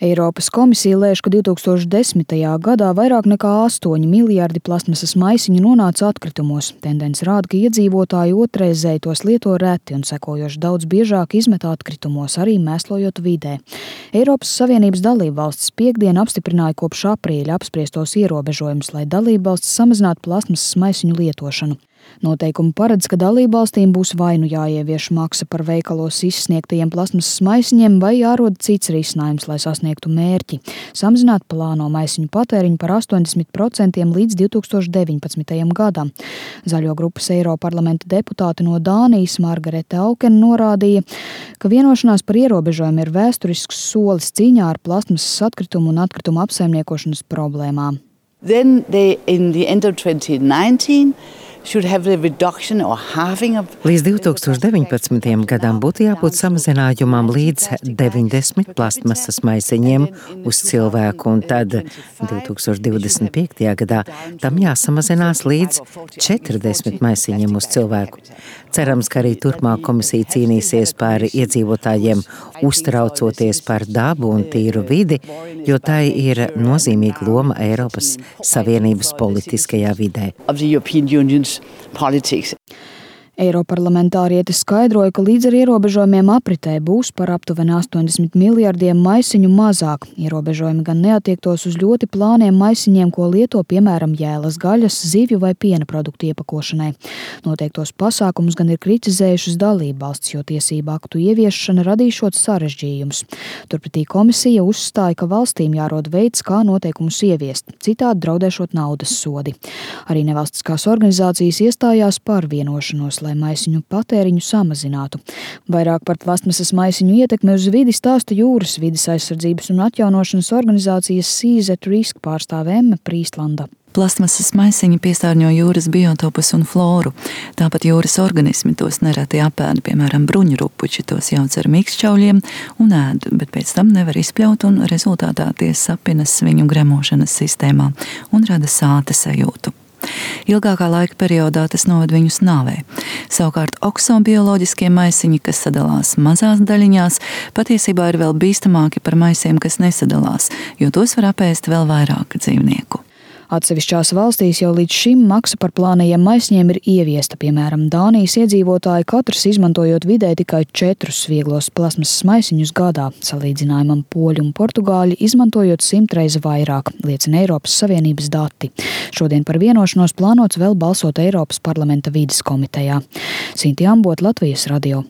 Eiropas komisija lēš, ka 2010. gadā vairāk nekā 8 miljardi plastmasas maisiņu nonāca atkritumos. Tendence rāda, ka iedzīvotāji otrreizēji tos lieto reti un sekojoši daudz biežāk izmet atkritumos, arī mēslojot vidē. Eiropas Savienības dalībvalstis piektdien apstiprināja kopš aprīļa apspriestos ierobežojumus, lai dalībvalstis samazinātu plastmasas maisiņu lietošanu. Noteikumi paredz, ka dalībvalstīm būs vai nu jāievieš maksa par veikalos izsniegtajiem plastmasas maisiņiem, vai jārod cits risinājums, lai sasniegtu mērķi – samazināt plāno maisiņu patēriņu par 80% līdz 2019. gadam. Zaļo grupas Eiroparlamenta deputāte no Dānijas Margarete Auken norādīja, ka vienošanās par ierobežojumu ir vēsturisks solis cīņā ar plastmasas atkritumu un atkritumu apsaimniekošanas problēmām. Then they, in the end of 2019, Līdz 2019. gadam būtu jābūt samazinājumam līdz 90 plastmasas maisiņiem uz cilvēku, un tad 2025. gadā tam jāsamazinās līdz 40 maisiņiem uz cilvēku. Cerams, ka arī turpmāk komisija cīnīsies par iedzīvotājiem, uztraucoties par dabu un tīru vidi, jo tai ir nozīmīga loma Eiropas Savienības politiskajā vidē. Politics. Eiroparlamentārietis skaidroja, ka līdz ar ierobežojumiem apritē būs par aptuveni 80 miljardiem maisiņu mazāk. Ierobežojumi gan neatiektos uz ļoti plāniem maisiņiem, ko lieto piemēram jēlas gaļas, zivju vai piena produktu iepakošanai. Noteiktos pasākumus gan ir kritizējušas dalībvalstis, jo tiesību aktu ieviešana radīšot sarežģījumus. Turpretī komisija uzstāja, ka valstīm jārod veids, kā noteikumus ieviest, citādi draudēšot naudas sodi. Arī nevalstiskās organizācijas iestājās par vienošanos, lai maisiņu patēriņu samazinātu. Vairāk par plastmasas maisiņu ietekmi uz vidi stāsta jūras vides aizsardzības un atjaunošanas organizācijas Seas at Risk pārstāve Emme Prīstlanda. Plastmasas maisiņi piesārņo jūras biotopus un floru. Tāpat jūras organismi tos nereti apēd, piemēram, bruņurupuči tos jauc ar mīkstšķauļiem un ēd, bet pēc tam nevar izpļaut un rezultātā tie sapinas viņu gremošanas sistēmā un rada sāta sajūtu. Ilgākā laika periodā tas noved viņus nāvē. Savukārt oksobioloģiskie maisiņi, kas sadalās mazās daļiņās, patiesībā ir vēl bīstamāki par maisiem, kas nesadalās, jo tos var apēst vēl vairāk dzīvnieku. Atsevišķās valstīs jau līdz šim maksa par plānajiem maisiņiem ir ieviesta. Piemēram, Dānijas iedzīvotāji katrs izmantojot vidē tikai 4 vieglos plastmasas maisiņus gadā. Salīdzinājumam poļi un portugāļi izmantojot 100 reizi vairāk, liecina Eiropas Savienības dati. Šodien par vienošanos plānots vēl balsot Eiropas parlamenta vides komitejā. Sinti Ambot, Latvijas radio.